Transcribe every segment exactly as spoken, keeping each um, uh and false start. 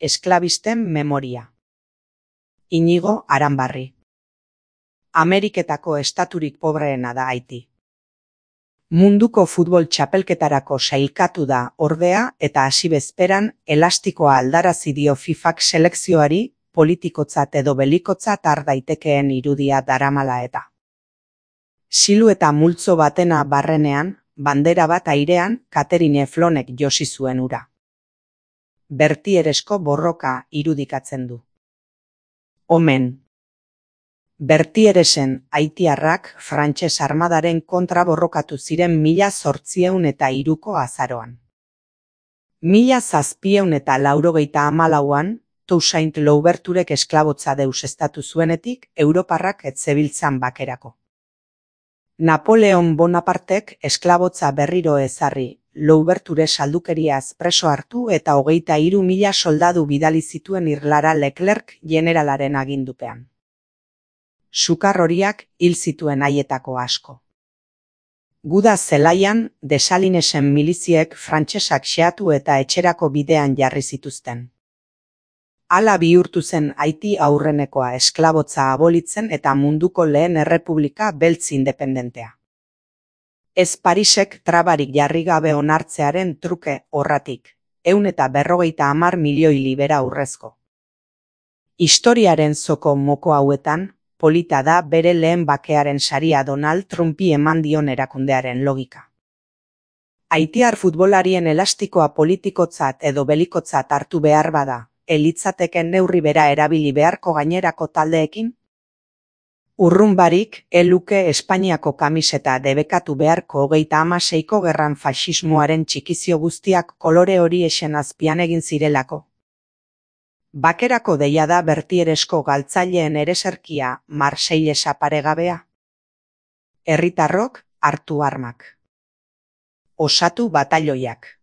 esklabisten memoria. Inigo Aranbarri. Ameriketako estaturik pobreena da Haiti. Munduko futbol txapelketarako sailkatu da ordea eta hasi bezperan elastikoa aldarazi dio FIFAk selekzioari politikotzat edo belikotzat har daitekeen irudia daramala eta. Silueta multzo batena barrenean, bandera bat airean, Catherine Flonek josi zuen ura. Bertieresko borroka irudikatzen du. Omen. Bertieresen haitiarrak frantses armadaren kontra borrokatu ziren mila zortziehun eta hiruko azaroan. Mila zazpiehun eta laurogeita hamalauan, Toussaint Louverturek esklabotza deuseztatu zuenetik, Europarrak ez zebiltzan bakerako. Napoleon Bonapartek esklabotza berriro ezarri, Louverture saldukeriaz preso hartu eta hogeita hiru mila soldadu bidali zituen Irlara Leclerc generalaren agindupean. Sukar horiak hil zituen haietako asko. Guda zelaian, Desalinesen miliziek frantsesak xeatu eta etxerako bidean jarri zituzten. Hala bihurtu zen Haiti aurrenekoa esklabotza abolitzen eta munduko lehen errepublika beltz independentea. Ez Parisek trabarik jarri gabe onartzearen truke horratik, ehun eta berrogeita hamar milioi libera urrezko. Historiaren zoko moko hauetan, polita da bere lehen bakearen saria Donald Trumpi eman dion erakundearen logika. Haitiar futbolarien elastikoa politikotzat edo belikotzat hartu behar bada, elitzateken neurri bera erabili beharko gainerako taldeekin? Urrun barik, eluke Espainiako kamiseta debekatu beharko hogeita hamaseiko gerran faxismoaren txikizio guztiak kolore hori esen azpian egin zirelako. Bakerako deia da Bertieresko galtzaileen ereserkia Marseillesa paregabea. Herritarrok hartu armak. Osatu batailoiak.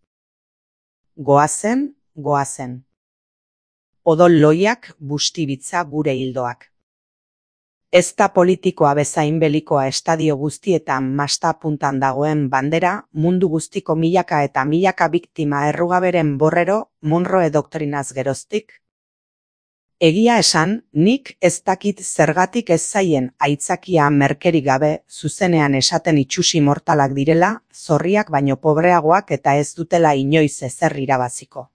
Goazen, goazen. Odol loiak bustibitza gure hildoak. Ez da politikoa bezain belikoa estadio guztietan masta puntan dagoen bandera, mundu guztiko milaka eta milaka biktima errugaberen borrero, Monroe doktrinaz geroztik. Egia esan, nik ez dakit zergatik ez zaien aitzakia merkerik gabe zuzenean esaten itsusi mortalak direla, zorriak baino pobreagoak eta ez dutela inoiz ezer irabaziko.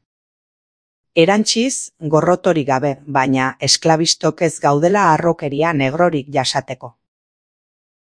Erantziz, gorrotorik gabe, baina esklabistok ez gaudela harrokeria negrorik jasateko.